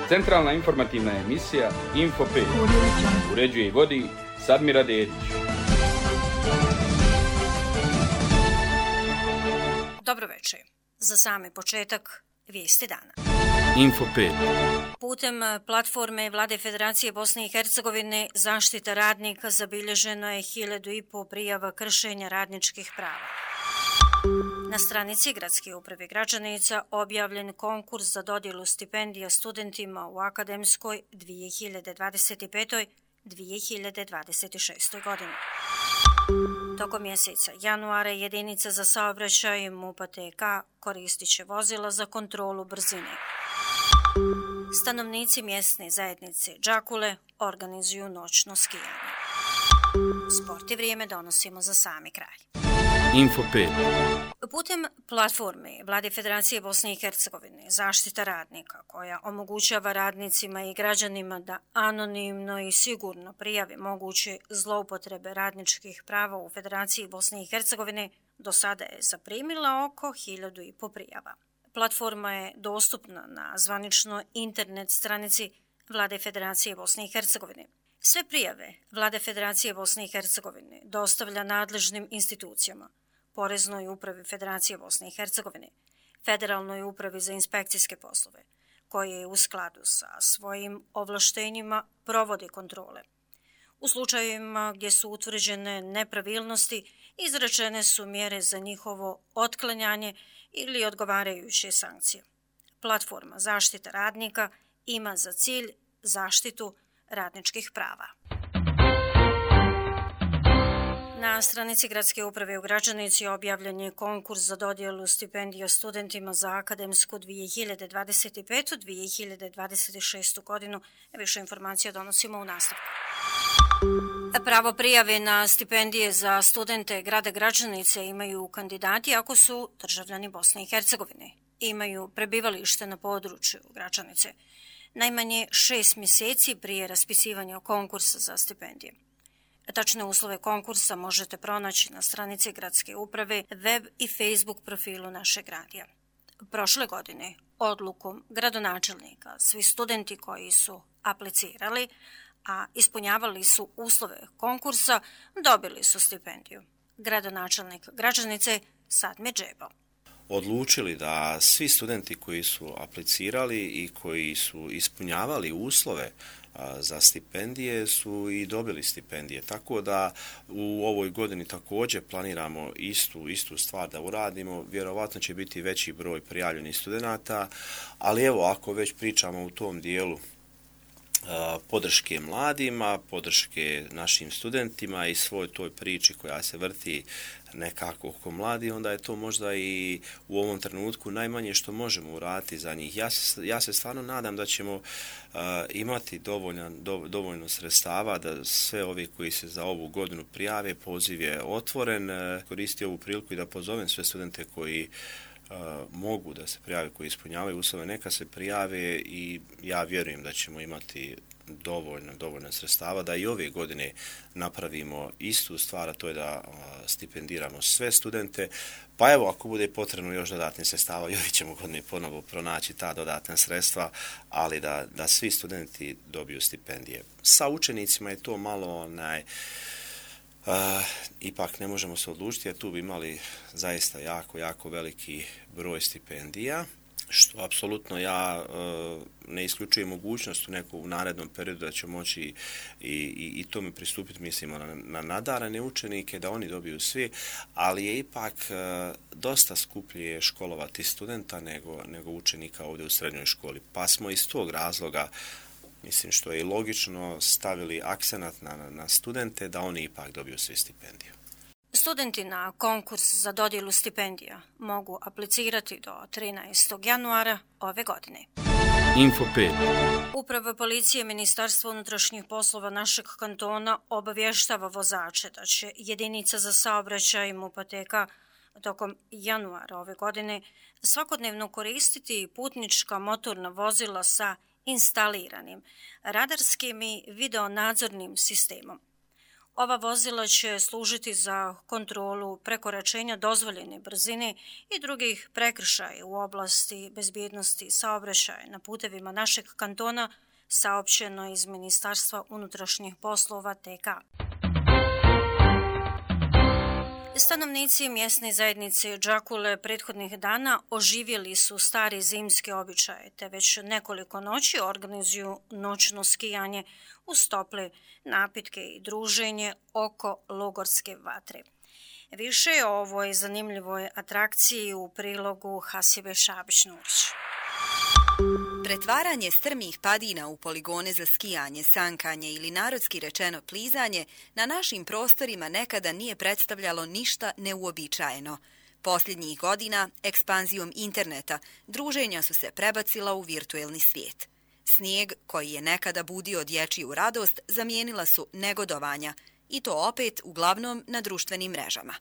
Centralna informativna emisija Info 5. Uređuje i vodi Sadmira Dedić. Dobro večer. Za sami početak vijesti dana. Info 5. Putem platforme Vlade Federacije Bosne i Hercegovine zaštita radnika zabilježeno je 1500 prijava kršenja radničkih prava. Na stranici Gradske uprave Gračanica objavljen konkurs za dodjelu stipendija studentima u akademskoj 2025-2026. godini. Tokom mjeseca januara jedinica za saobraćaj MUP-a TK koristit će vozila za kontrolu brzine. Stanovnici mjesne zajednice Đakule organizuju noćno skijanje. Sport i vrijeme donosimo za sami kraj. Info 5. Putem platforme Vlade Federacije Bosne i Hercegovine zaštita radnika koja omogućava radnicima i građanima da anonimno i sigurno prijave moguće zloupotrebe radničkih prava u Federaciji Bosne i Hercegovine do sada je zaprimila oko 1500 prijava. Platforma je dostupna na zvaničnoj internet stranici Vlade Federacije Bosne i Hercegovine. Sve prijave Vlade Federacije Bosne i Hercegovine dostavlja nadležnim institucijama, Poreznoj upravi Federacije Bosne i Hercegovine, Federalnoj upravi za inspekcijske poslove, koje u skladu sa svojim ovlaštenjima provode kontrole. U slučajevima gdje su utvrđene nepravilnosti, izrečene su mjere za njihovo otklanjanje ili odgovarajuće sankcije. Platforma zaštita radnika ima za cilj zaštitu radničkih prava. Na stranici Gradske uprave u Gračanici objavljen je konkurs za dodjelu stipendija studentima za akademsku 2025-2026. godinu. Više informacija donosimo u nastavku. Pravo prijave na stipendije za studente grada Gračanice imaju kandidati ako su državljani Bosne i Hercegovine. Imaju prebivalište na području Gračanice najmanje 6 mjeseci prije raspisivanja konkursa za stipendije. Tačne uslove konkursa možete pronaći na stranici Gradske uprave, web i Facebook profilu našeg radija. Prošle godine odlukom gradonačelnika svi studenti koji su aplicirali, a ispunjavali su uslove konkursa, dobili su stipendiju. Gradonačelnik Gračanice Sadmir Džebo. Odlučili da svi studenti koji su aplicirali i koji su ispunjavali uslove za stipendije su i dobili stipendije. Tako da u ovoj godini također planiramo istu stvar da uradimo. Vjerovatno će biti veći broj prijavljenih studenata, ali evo ako već pričamo u tom dijelu podrške mladima, podrške našim studentima i svoj toj priči koja se vrti nekako oko mladi, onda je to možda i u ovom trenutku najmanje što možemo uraditi za njih. Ja se stvarno nadam da ćemo imati dovoljno sredstava da sve ovi koji se za ovu godinu prijave, poziv je otvoren. Koristim ovu priliku i da pozovem sve studente koji mogu da se prijave, koji ispunjavaju uslove, neka se prijave i ja vjerujem da ćemo imati dovoljno sredstava da i ove godine napravimo istu stvar, a to je da stipendiramo sve studente. Pa evo, ako bude potrebno još dodatnih sredstava, i ove ćemo godine ponovo pronaći ta dodatna sredstva, ali da svi studenti dobiju stipendije. Sa učenicima je to malo ipak ne možemo se odlučiti, jer tu bi imali zaista jako veliki broj stipendija, što apsolutno ja ne isključujem mogućnost u narednom periodu da će moći i tome pristupiti, mislimo na nadarane učenike, da oni dobiju svi, ali je ipak dosta skuplje školovati studenta nego učenika ovdje u srednjoj školi. Pa smo iz tog razloga, mislim što je i logično, stavili akcenat na studente da oni ipak dobiju svi stipendiju. Studenti na konkurs za dodjelu stipendija mogu aplicirati do 13. januara ove godine. Info 5. Uprava policije Ministarstva unutrašnjih poslova našeg kantona obavještava vozače da će jedinica za saobraćaj MUP-a TK tokom januara ove godine svakodnevno koristiti putnička motorna vozila sa instaliranim radarskim i videonadzornim sistemom. Ova vozila će služiti za kontrolu prekoračenja dozvoljene brzine i drugih prekršaja u oblasti bezbjednosti saobraćaja na putevima našeg kantona, saopćeno iz Ministarstva unutrašnjih poslova TK. Stanovnici mjesne zajednice Đakule prethodnih dana oživjeli su stari zimski običaje, te već nekoliko noći organizuju noćno skijanje uz tople napitke i druženje oko logorske vatre. Više o ovoj zanimljivoj atrakciji u prilogu Hasibe Šabić-Nurić. Pretvaranje strmih padina u poligone za skijanje, sankanje ili narodski rečeno plizanje na našim prostorima nekada nije predstavljalo ništa neuobičajeno. Posljednjih godina, ekspanzijom interneta, druženja su se prebacila u virtuelni svijet. Snijeg, koji je nekada budio dječju radost, zamijenila su negodovanja, i to opet uglavnom na društvenim mrežama.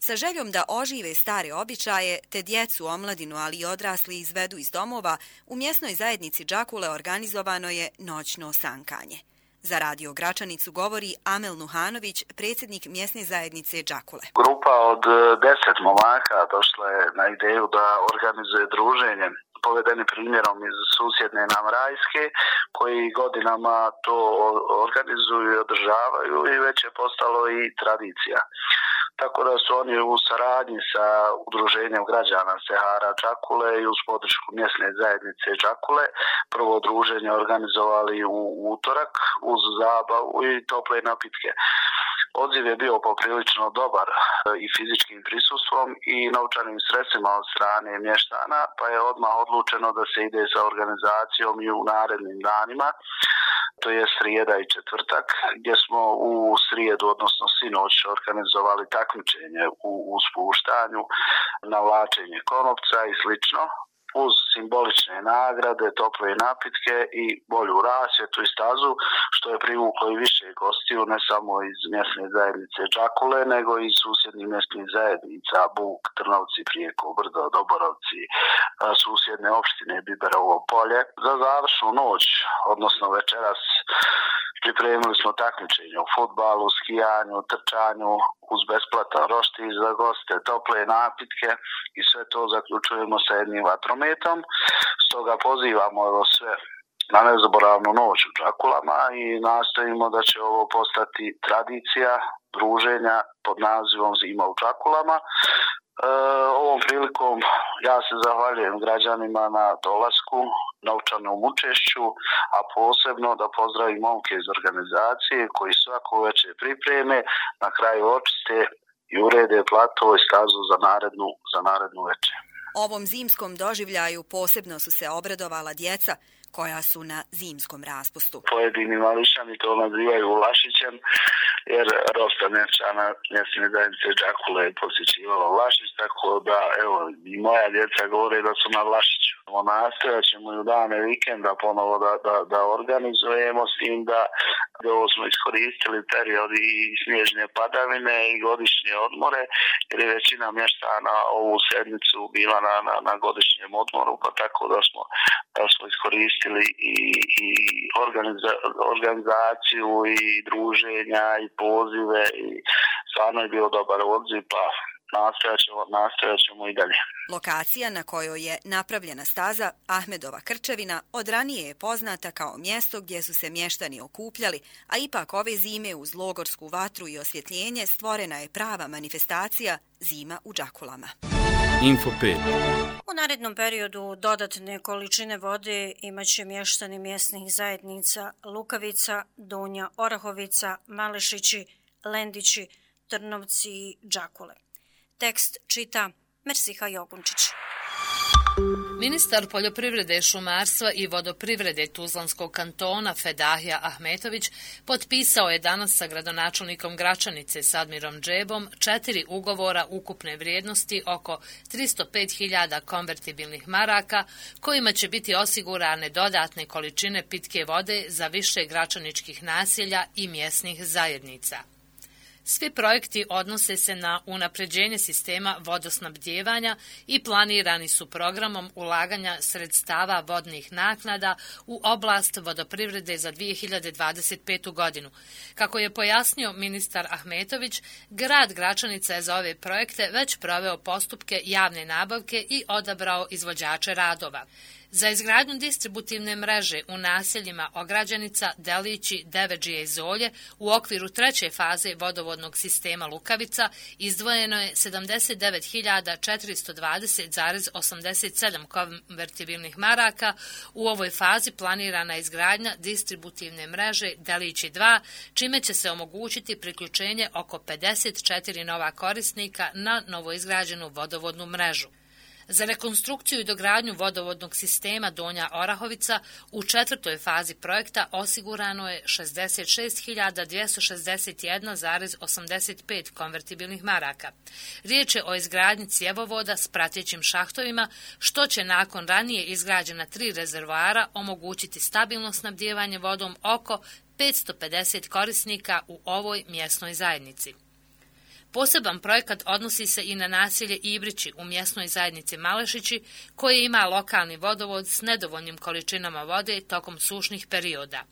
Sa željom da ožive stare običaje, te djecu, omladinu, ali i odrasli izvedu iz domova, u mjesnoj zajednici Đakule organizovano je noćno sankanje. Za Radio Gračanicu govori Amel Nuhanović, predsjednik mjesne zajednice Đakule. Grupa od 10 momaka došla je na ideju da organizuje druženje, povedeni primjerom iz susjedne nam Rajske, koji godinama to organizuju i održavaju i već je postalo i tradicija. Tako da su oni u saradnji sa udruženjem građana Sehara Đakule i uz podršku mjesne zajednice Đakule prvo druženje organizovali u utorak uz zabavu i tople napitke. Odziv je bio poprilično dobar i fizičkim prisustvom i novčanim sredstvima od strane mještana, pa je odmah odlučeno da se ide sa organizacijom i u narednim danima, to je srijeda i četvrtak, gdje smo u srijedu, odnosno sinoć, organizovali takmičenje u spuštanju, navlačenje konopca i slično, uz simbolične nagrade, tople napitke i bolju rasvjetu i stazu, što je privuklo i više gostiju, ne samo iz mjesne zajednice Đakule, nego i susjednih mjesnih zajednica, Buk, Trnovci, Prijeko, Brdo, Doborovci, susjedne opštine Biberovo polje. Za završnu noć, odnosno večeras, pripremili smo takmičenje u fudbalu, skijanju, trčanju, uz besplatan roštilj za goste, tople napitke i sve to zaključujemo sa jednim vatrometom. Stoga pozivamo sve na nezaboravnu noć u Đakulama i nastojimo da će ovo postati tradicija druženja pod nazivom Zima u Đakulama. Ovom prilikom ja se zahvaljujem građanima na dolasku, novčanom učešću, a posebno da pozdravim momke iz organizacije koji svako večer pripreme, na kraju očiste i urede plato i stazu za narednu večer. Ovom zimskom doživljaju posebno su se obradovala djeca koja su na zimskom raspustu. Pojedini mališani to nazivaju Vlašićem, jer dosta mješćana mjesne zajednice Đakule je posjećivalo Vlašić, tako da evo i moja djeca govore da su na Vlašiću. Nastojat ćemo i u dane vikenda ponovo da organizujemo, s tim da ovo smo iskoristili period i snježne padavine i godišnje odmore, jer je većina mještana ovu sedmicu bila na godišnjem odmoru, pa tako da smo iskoristili i organizaciju i druženja i pozive i stvarno je bio dobar odziv, pa nastojat ćemo i dalje. Lokacija na kojoj je napravljena staza Ahmedova Krčevina od ranije je poznata kao mjesto gdje su se mještani okupljali, a ipak ove zime uz logorsku vatru i osvjetljenje stvorena je prava manifestacija Zima u Đakulama. Info 5. U narednom periodu dodatne količine vode imaće mještani mjesnih zajednica Lukavica, Donja Orahovica, Malešići, Lendići, Trnovci i Đakule. Tekst čita Mersiha Jogunčić. Ministar poljoprivrede, šumarstva i vodoprivrede Tuzlanskog kantona Fedahija Ahmetović potpisao je danas sa gradonačelnikom Gračanice Sadmirom Džebom 4 ugovora ukupne vrijednosti oko 305.000 konvertibilnih maraka, kojima će biti osigurane dodatne količine pitke vode za više gračaničkih naselja i mjesnih zajednica. Svi projekti odnose se na unapređenje sistema vodosnabdijevanja i planirani su programom ulaganja sredstava vodnih naknada u oblast vodoprivrede za 2025. godinu. Kako je pojasnio ministar Ahmetović, grad Gračanica je za ove projekte već proveo postupke javne nabavke i odabrao izvođače radova. Za izgradnju distributivne mreže u naseljima Ograđanica, Delići, Devedžije i Zolje u okviru treće faze vodovodnog sistema Lukavica izdvojeno je 79.420,87 konvertibilnih maraka. U ovoj fazi planirana je izgradnja distributivne mreže Delići 2, čime će se omogućiti priključenje oko 54 nova korisnika na novoizgrađenu vodovodnu mrežu. Za rekonstrukciju i dogradnju vodovodnog sistema Donja Orahovica u četvrtoj fazi projekta osigurano je 66.261,85 konvertibilnih maraka. Riječ je o izgradnji cjevovoda s pratećim šahtovima, što će nakon ranije izgrađena 3 rezervoara omogućiti stabilno snabdijevanje vodom oko 550 korisnika u ovoj mjesnoj zajednici. Poseban projekat odnosi se i na naselje Ibrići u mjesnoj zajednici Malešići, koje ima lokalni vodovod s nedovoljnim količinama vode tokom sušnih perioda.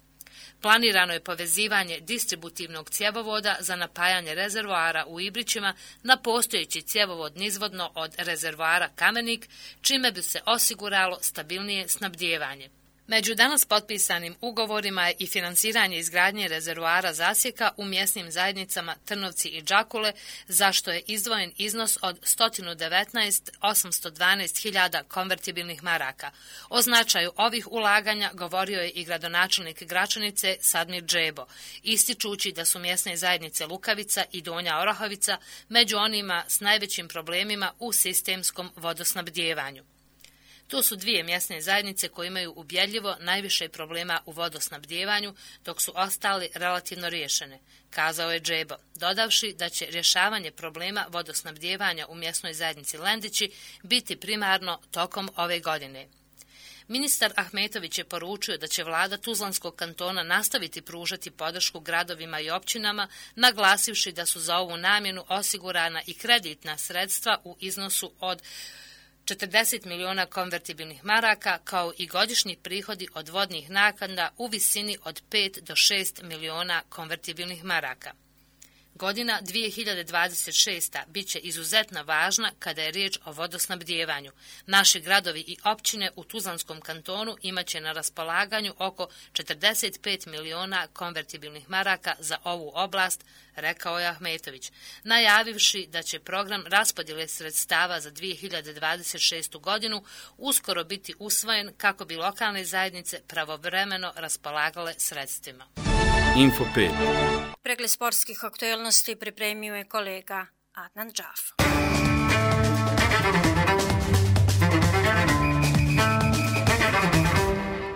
Planirano je povezivanje distributivnog cjevovoda za napajanje rezervoara u Ibrićima na postojeći cjevovod nizvodno od rezervoara Kamenik, čime bi se osiguralo stabilnije snabdijevanje. Među danas potpisanim ugovorima je i finansiranje izgradnje rezervoara zasjeka u mjesnim zajednicama Trnovci i Đakule, za što je izdvojen iznos od 119.812.000 konvertibilnih maraka. O značaju ovih ulaganja govorio je i gradonačelnik Gračanice Sadmir Džebo, ističući da su mjesne zajednice Lukavica i Donja Orahovica među onima s najvećim problemima u sistemskom vodosnabdijevanju. To su dvije mjesne zajednice koje imaju ubjedljivo najviše problema u vodosnabdijevanju, dok su ostali relativno riješene, kazao je Džebo, dodavši da će rješavanje problema vodosnabdijevanja u mjesnoj zajednici Lendići biti primarno tokom ove godine. Ministar Ahmetović je poručio da će vlada Tuzlanskog kantona nastaviti pružati podršku gradovima i općinama, naglasivši da su za ovu namjenu osigurana i kreditna sredstva u iznosu od 40 miliona konvertibilnih maraka, kao i godišnji prihodi od vodnih naknada u visini od 5 do 6 miliona konvertibilnih maraka. Godina 2026. bit će izuzetno važna kada je riječ o vodosnabdijevanju. Naši gradovi i općine u Tuzlanskom kantonu imaće na raspolaganju oko 45 miliona konvertibilnih maraka za ovu oblast, rekao je Ahmetović, najavivši da će program raspodjele sredstava za 2026. godinu uskoro biti usvojen kako bi lokalne zajednice pravovremeno raspolagale sredstvima. Info 5. Pregled sportskih aktualnosti pripremio je kolega Adnan Džaf.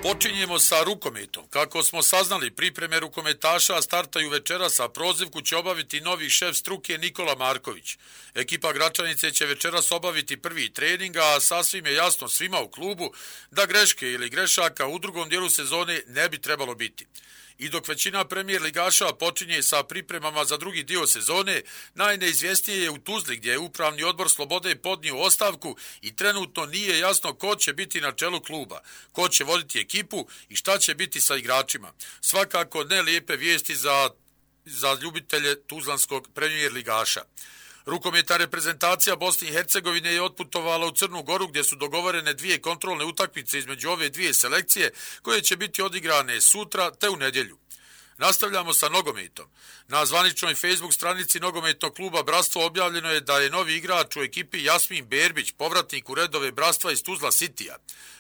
Počinjemo sa rukometom. Kako smo saznali, pripreme rukometaša startaju večeras, a prozivku će obaviti novi šef struke Nikola Marković. Ekipa Gračanice će večeras obaviti prvi trening, a sasvim je jasno svima u klubu da greške ili grešaka u drugom dijelu sezone ne bi trebalo biti. I dok većina premijer ligaša počinje sa pripremama za drugi dio sezone, najneizvjesnije je u Tuzli gdje je upravni odbor Slobode podnio ostavku i trenutno nije jasno ko će biti na čelu kluba, ko će voditi ekipu i šta će biti sa igračima. Svakako ne lijepe vijesti za ljubitelje tuzlanskog premijer ligaša. Rukometna reprezentacija Bosne i Hercegovine je otputovala u Crnu Goru gdje su dogovorene 2 kontrolne utakmice između ove 2 selekcije koje će biti odigrane sutra te u nedjelju. Nastavljamo sa nogometom. Na zvaničnoj Facebook stranici nogometnog kluba Bratstvo objavljeno je da je novi igrač u ekipi Jasmin Berbić, povratnik u redove Bratstva iz Tuzla Citya.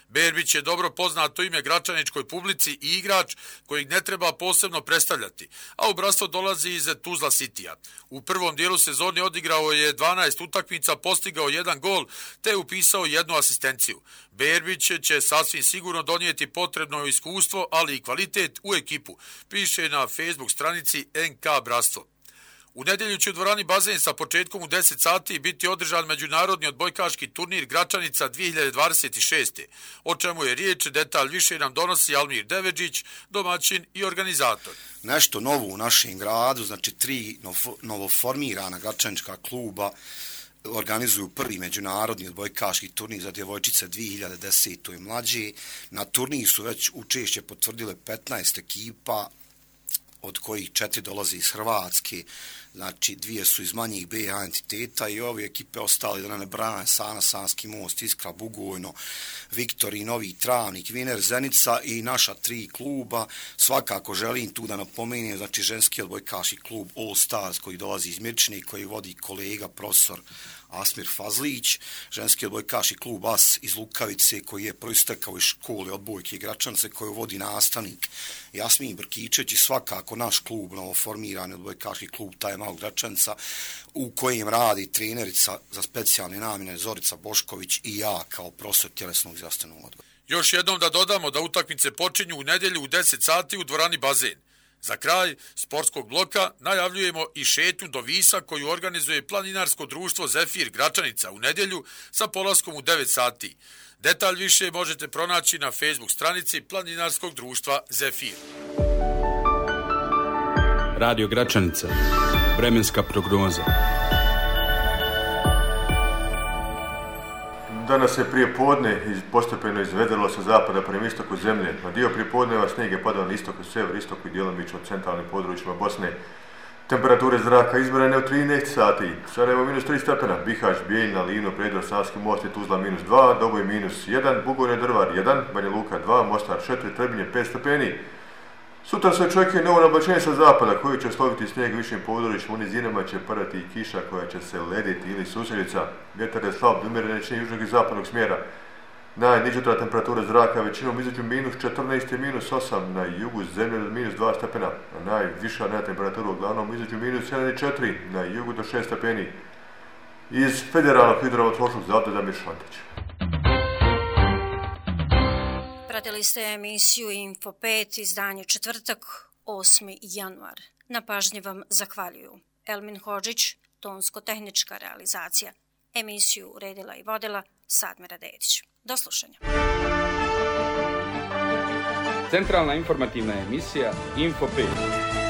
Berbić je dobro poznato ime gračaničkoj publici i igrač kojeg ne treba posebno predstavljati, a u Bratstvo dolazi iz Tuzla Citya. U prvom dijelu sezone odigrao je 12 utakmica, postigao 1 gol te upisao 1 asistenciju. Berbić će sasvim sigurno donijeti potrebno iskustvo, ali i kvalitet u ekipu, piše na Facebook stranici NK Bratstvo. U nedjelju će u dvorani Bazen sa početkom u 10 sati biti održan međunarodni odbojkaški turnir Gračanica 2026. O čemu je riječ, detalj više nam donosi Almir Devedžić, domaćin i organizator. Nešto novo u našem gradu, znači 3 novoformirana gračanička kluba organizuju prvi međunarodni odbojkaški turnir za djevojčice 2010. i mlađe. Na turnir su već učešće potvrdile 15 ekipa, od kojih 4 dolaze iz Hrvatske, znači 2 su iz manjih BH entiteta i ove ekipe ostali da ne brane Sana, Sanski most, Iskra, Bugojno, Viktori, Novi Travnik, Viner, Zenica i naša 3 kluba. Svakako želim tu da napomenem, znači ženski odbojkaški klub All Stars koji dolazi iz Mirčine, koji vodi kolega profesor Asmir Fazlić, ženski odbojkaški klub AS iz Lukavice koji je proistekao iz škole odbojke i Gračanice koju vodi nastavnik Jasmin Brkičević i svakako naš klub, novoformirani odbojkaški klub Time Out Gračanica u kojem radi trenerica za specijalne namjene Zorica Bošković i ja kao profesor tjelesnog zdravstvenog odgoja. Još jednom da dodamo da utakmice počinju u nedjelju u 10 sati u dvorani Bazen. Za kraj sportskog bloka najavljujemo i šetnju do Visa koju organizuje planinarsko društvo Zefir Gračanica u nedjelju sa polaskom u 9 sati. Detalj više možete pronaći na Facebook stranici planinarskog društva Zefir. Radio Gračanica. Vremenska prognoza. Danas je prije podne postepeno izvedelo sa zapada prema istoku zemlje. Na dio prijepodneva snijeg je padao na istoku, sever, istoku i djelomično u centralnim područjima Bosne. Temperature zraka izmjerene u 13 sati. Sarajevo -3 stepena, Bihać, Bijeljina, Livno, Predio, Savski most i Tuzla -2, Doboj -1, Bugojno, Drvar 1, Banja Luka 2, Mostar 4, Trebinje 5 stepeni. Sutra se očekuje novo nablačenje sa zapada koji će osloviti snijeg višim područjima, u nizinama će padati i kiša koja će se lediti ili susjedica. Vjetar je slab, umjeren većine južnog i zapadnog smjera. Najniža temperatura zraka većinom između -14 i -8 na jugu zemlje do -2 stepena, a najviša temperatura uglavnom između -1 i 4 na jugu do 6 stepeni. Iz Federalnog hidrometeorološkog zavoda Damir Šantić. Pratili ste emisiju Info 5, izdanje četvrtak, 8. januar. Na pažnji vam zahvaljuju Elmin Hodžić, tonsko-tehnička realizacija. Emisiju uredila i vodila Sadmira Dedić. Do slušanja. Centralna informativna emisija Info 5.